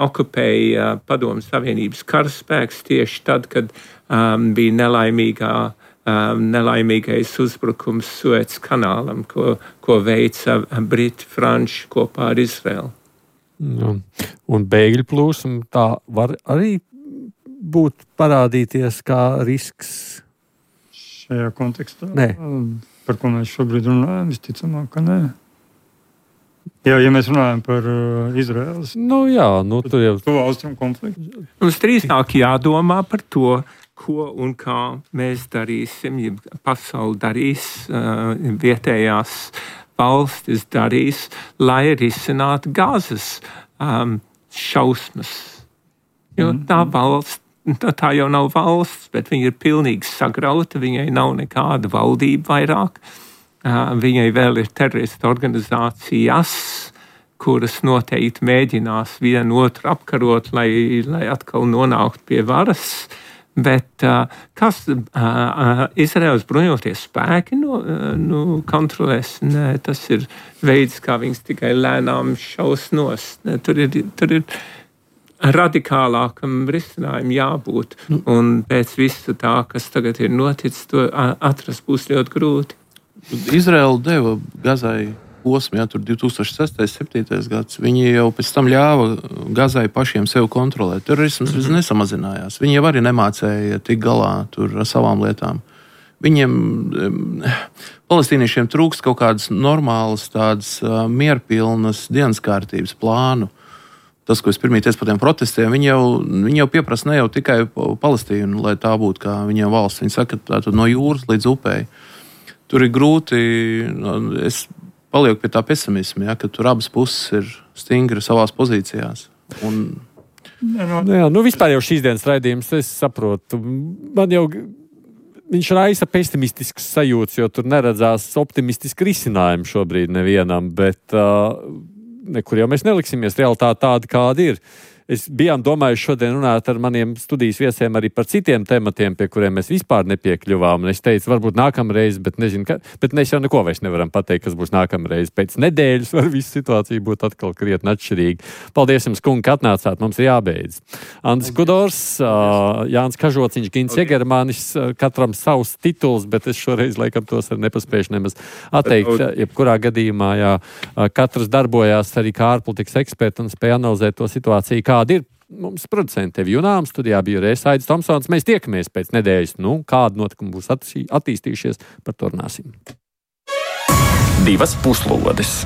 okupēja Padomju Savienības karaspēks tieši tad, kad bija nelaimīgais uzbrukums Suez kanālam, ko veica Briti, Franči kopā ar Izraelu. Un bēgļu plūsma tā var arī būt parādīties kā risks? Šajā kontekstā? Nē. Par ko mēs šobrīd runājam, visticamāk, ka nē. Ja mēs runājam par Izraēlas tur jau to austrumu konfliktu. Mums drīzāk jādomā par to, ko un kā mēs darīsim, ja pasauli darīs, vietējās valstis darīs, lai risinātu Gazas šausmas. Jo tā jau nav valsts, bet viņa ir pilnīgi sagrauta, viņai nav nekāda valdība vairāk. Viņai vēl ir teroristu organizācijas, kuras noteikti mēģinās vienu otru apkarot, lai atkal nonāktu pie varas. Bet kas Izraēlas bruņoties spēki kontrolēs? Nē, tas ir veids, kā viņas tikai lēnām šaus nost. Tur ir radikālākam risinājumam jābūt. Un pēc visu tā, kas tagad ir noticis, to atrast būs ļoti grūti. Izraēla deva Gazai posmu, tur 2006. 2007. gads. Viņi jau pēc tam ļāva Gazai pašiem sev kontrolēt. Terorisms nesamazinājās. Viņi jau arī nemācēja tik galā tur ar savām lietām. Viņiem, palestīniešiem, trūkst kaut kādas normālas, tādas mierpilnas dienas kārtības plānu. Tas, ko es pirmie teicu par tiem protestiem, viņi jau pieprasa ne jau tikai Palestīnu, lai tā būtu kā viņiem valsts. Viņi saka, tā no jūras līdz upei. Tur ir grūti, es palieku pie tā pesimisma, ka tur abas puses ir stingri savās pozīcijās. Vispār jau šīs dienas raidījums, es saprotu, man jau viņš raisa pesimistisks sajūts, jo tur neredzās optimistiski risinājumi šobrīd nevienam, bet nekur jau mēs neliksimies, realitāte tāda, kāda ir. Es bijām domājuši šodien runāt ar maniem studijas viesiem arī par citiem tematiem, pie kuriem mēs vispār nepiekļuvām. Un es teicu, varbūt nākamreiz, bet nezinu, bet mēs jau neko vairs nevaram pateikt, kas būs nākamreiz. Pēc nedēļas var visa situācija būt atkal krietni atšķirīga. Paldies jums, kungi, ka atnācāt, mums ir jābeidz. Andris Kudors, Jānis Kažociņš, Gints Jegermanis, katram savs tituls, bet es šoreiz laikam tos arī nepaspējuši nemaz atteikt. Jebkurā gadījumā, katrs darbojās arī kā ārpolitikas eksperti un spēja analizēt to situāciju, kāda ir. Mums producenti tevi Junām, studijā bija Aidis Tomsons. Mēs tiekamies pēc nedēļas. Kāda notikuma būs attīstījušies, par to runāsim. 2 puslodes.